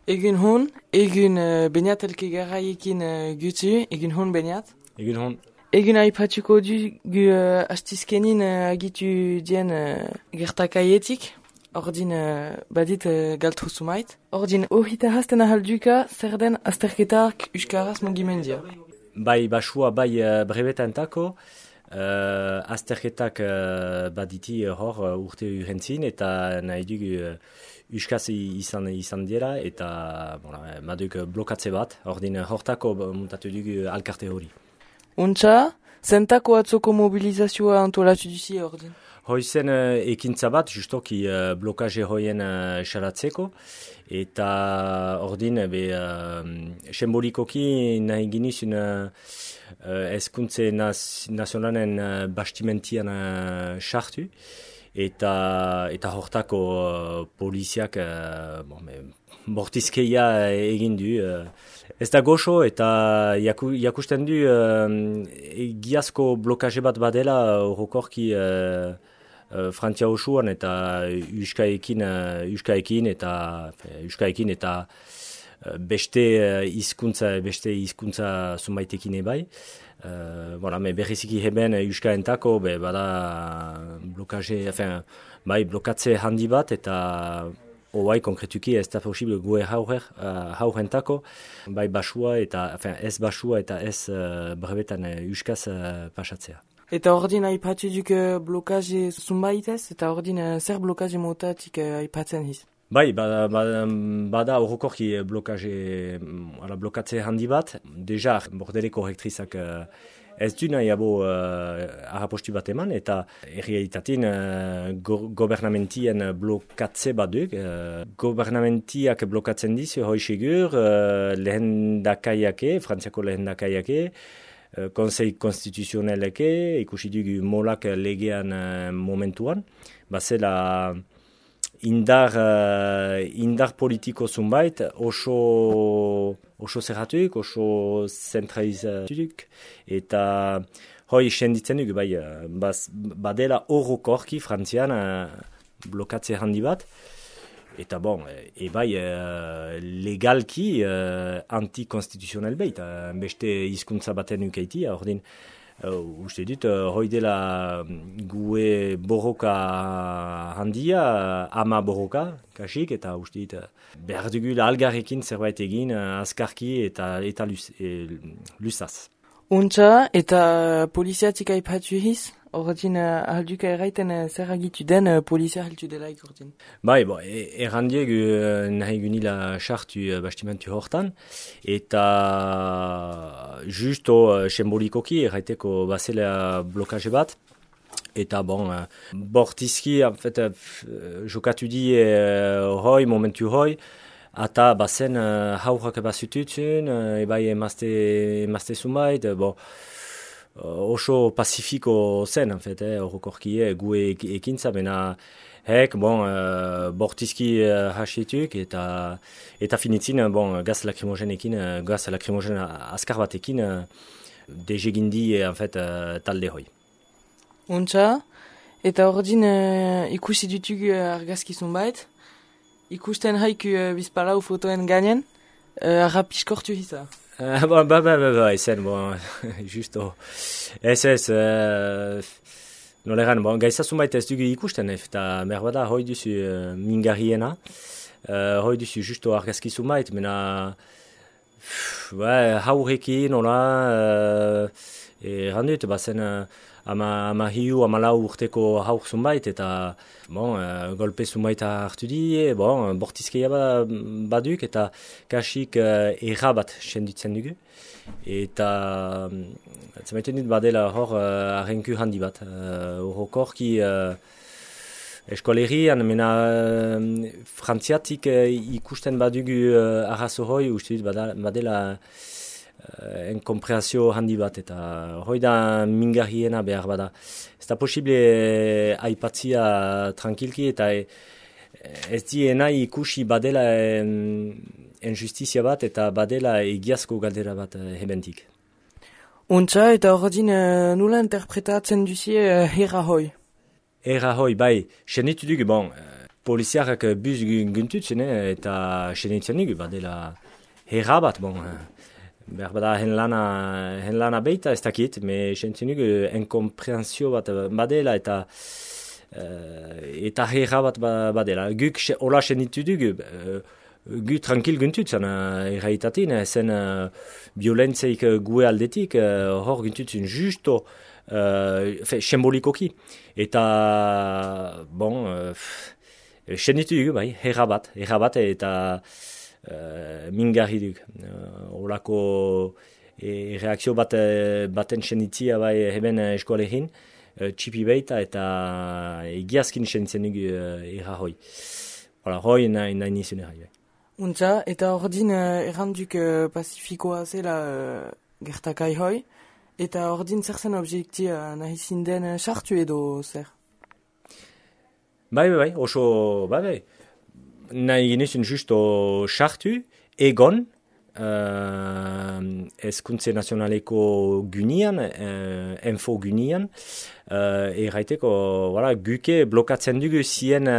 Egun hon, egun beniat elke garraiekin gutu, egun hon beniat. Egun hon. Egun aipatuko du gu astizkenin agitu dien gertakaietik, ordin badit galtru sumait. Ordin ohita hasten ahalduka zer den azterketak euskaraz mugimendia. Bai basua, bai brebetantako, azterketak baditi hor urte urrentzin eta nahi dugu euskaz izan dira eta baduk blokatze bat, ordin hortako muntatu dugu alkarte hori. Untxa, zentako atzoko mobilizazioa antolatu duzi ordin? Hoizen ekintza bat, justoki blokaje hoien xalatzeko, eta ordin sembolikoki nahi ginizun ezkuntze nazionalen bastimentian sartu, eta hortako poliziak bortizkeia egin du. Ez da goxo eta jakusten du egiazko blokaje bat badela horrokorki Frantzia osoan eta euskaekin eta beste hizkuntza zunbaitekin ebai. Berriziki heben euskaentako bada blokatze handi bat eta oai konkretuki ez da posible gue haurentako, bai basua eta ez basua eta ez brebetan euskaz pasatzea. Eta ordin aipatu duk blokaje zunbaitez, eta ordin zer blokaje motatik aipatzen hiz? Bai, bada horrokorki blokatze handi bat. Deja, bordeleko rektrizak ez du nahi abo harrapostu bat eman, eta errealitatin gobernamentien blokatze bat duk. Gobernamentiak blokatzen dizu, hoi segur, lehendakaiake, Frantziako lehendakaiake, Konsei konstituzioneleke, ikusi dugu molak legean momentuan, bazela indar politiko zunbait oso zerratuk, oso zentralizatuk, eta hoi senditzen dugu, badela horrokorki Frantzian blokatze handi bat, eta legalki antikonstituzional behit, beste hizkuntza baten ukeiti, ordin, uste dut, hoi dela gue borroka handia, ama borroka, kasik, eta uste dut, behar dugu algarrekin zerbait egin, azkarki eta luzaz. Untxa, eta poliziatik aipatu hiz? Ordin, ahalduka erraiten zer agitu den polizia ahaltu delaik ordin? Bai, errandiegu nahi gunila sartu bastimentu hortan, eta justo sembolikoki erraiteko bazela blokaje bat, eta bortizki, jokatu di hoi, momentu hoi, eta bazen haurrak bazututzen, ebai emazte zumait, oso pacifiko zen, horrokorkie gue ekintza, bena bortizki hasietuk eta finitzin gaz lakrimogen azkar batekin dezegindi talde hoi. Untxa, eta ordin ikusi dutugu argazkizun bait, ikusten haiku bizpalau fotoen gainen, rapiskortu hiza. Ezen, justo. Ez, noleran, gaizazun baita ez dugu ikusten, eta merbada hoi duzu mingarriena, hoi duzu justo argazkizun baita, mena haurekin, randut, bazen ama hiu, ama lau urteko haur zunbait, eta golpe zunbaita hartu di, bortizkeia baduk, eta kasik errabat senditzen dugu. Eta zemaiten dut badela hor arrenku handi bat. Horrokorki eskolerian, mena frantziatik ikusten badugu arrazo hoi, uste dut badela enkompreazio handi bat, eta hoi da mingarriena behar bada. Ez da posible aipatzia tranquilki, eta ez diena ikusi badela injustizia bat, eta badela egiazko galdera bat hebentik. Untxa, eta ordin nula interpretatzen duzie herra hoi? Herra hoi, bai, senitu dugu, poliziarrak bus guntutzen, eta senitzen dugu, badela herra bat, bon, behar bada hen lana beita ez dakit, me senitzen dugu enkomprehensio bat badela, eta herra bat badela. Guk hola senitu dugu, gu tranquil guntutzen erraitatin, zen violentzeik gue aldetik, hor guntutzen justo, sembolikoki. Eta, bon, senitu dugu, bai, herra bat, eta mingarri duk. Olako reakzio baten senitzia bai heben eskoalekin, txipi beita eta egiazkin senitzen dugu erra hoi. Hala, hoi nahi nizun erra. Untza, eta ordin erranduk pacifikoa zela gertakai hoi, eta ordin zer zen objektia nahi zinden sartu edo zer? Bai, oso, bai. Nahi ginezun justo sartu, egon, ezkuntze nazionaleko gunian, info gunian, erraiteko, guke blokatzen dugu zien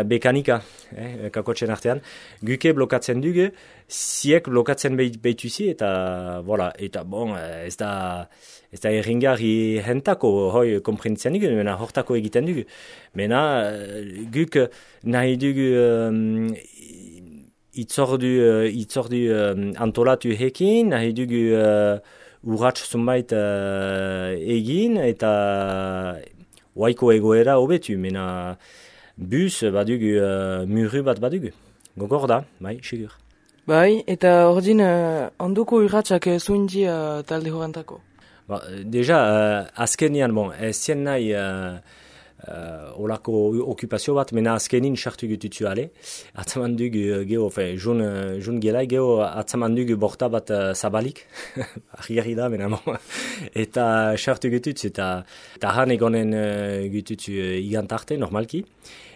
bekanika, kakotxen artean, guke blokatzen dugu, ziek blokatzen behituzi, eta bon, ez da erringarri hentako, hoi komprenitzen dugu, mena hortako egiten dugu. Mena, guk nahi dugu itzordu antolatu hekin, nahi dugu urratx zunbait egin, eta waiko egoera hobetu, mena bus badugu, muru bat badugu. Gogor da, bai, sigur. Bai, eta ordin onduko urratxak zuinti talde horrentako? Deja, azkenian, bon, ez zien nahi olako okupazio bat, mena azkenin sartu gututzu ale. Atzaman dugu geho, jun gelai geho, atzaman dugu borta bat zabalik. Arriari da, mena bon. Eta sartu gututzu, eta han egonen gututzu igantarte, normalki.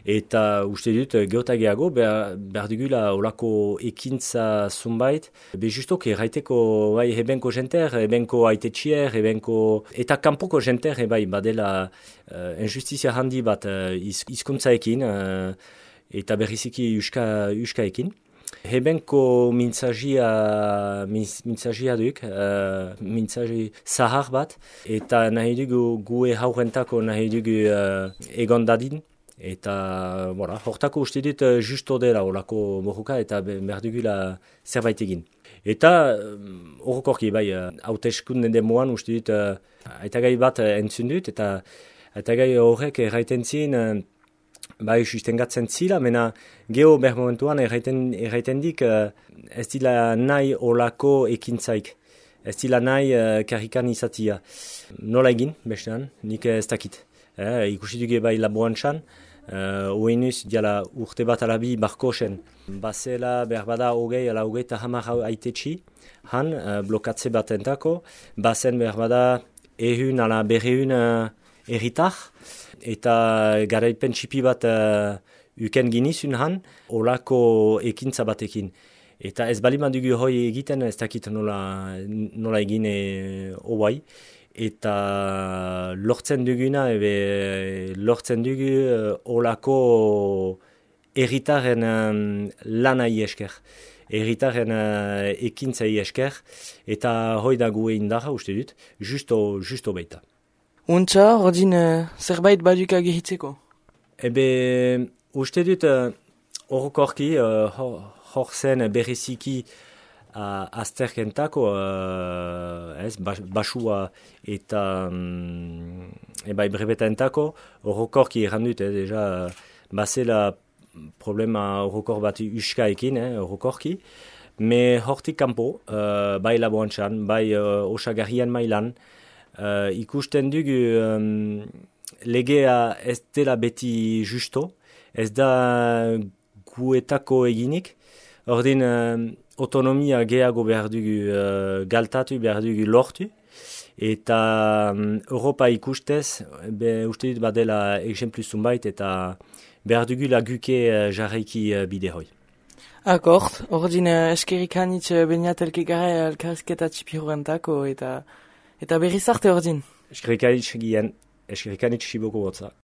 Eta uste dut, geotageago, behar dugula olako ekintza zunbait. Be justok, erraiteko bai, ebenko jenter, ebenko aitetxier, eta kanpoko jenter, bai, badela injustizia handi bat hizkuntzaekin, eta berriziki uskaekin. Ebenko mintzagia duk, mintzaji zahar bat, eta nahi dugu gue haurentako nahi dugu egon dadin. Eta, hortako uste dut justo dela olako morruka eta behar dugula zerbait egin. Eta, horrekorki, bai, hauteskunden demoan uste dut aitagai bat entzun dut, eta aitagai horrek erraiten zin, bai, sustengatzen zila, mena geho behar momentuan erraiten dik ez dila nahi olako ekintzaik. Ez dila nahi karrikan izatia. Nola egin, bestean, nik ez dakit. Ikusi dugu bai laborantzan, oinuz diala urte bat alabi barkosen. Bazela berbada hogeita hamar aitetxi, han blokatze bat entako, bazen berbada ehun ala berreun erritar, eta garaipen txipi bat uken ginizun han, olako ekintza batekin. Eta ez baliman dugu hoi egiten, ez dakit nola egin hoai. Eta lortzen duguna, lortzen dugu olako erritaren lanai esker, erritaren ekintzai esker, eta hoi da gue indarra uste dut, justo baita. Untza, ordin zerbait baduka gehitzeko? Uste dut horrekorki, hor zen berriziki, azterkentako, basua eta brebetaentako, horrekorki errandut, deja, bazela problema horrekor bat uskaekin, horrekorki, me hortik kanpo, bai laborantzan, bai osagarrian mailan, ikusten dugu legea ez dela beti justo, ez da guetako eginik, ordin autonomia gehiago behar dugu galtatu, behar dugu lortu, eta Europa ikustez, uste dut badela exemplu zunbait, eta behar dugu laguke jarraiki bide hoi. Akord, ordin eskerik hanitz beniatelke gara elkarrizketa txipi horrentako, eta berriz arte ordin. Eskerik hanitz gien, eskerik hanitz xiboko botza.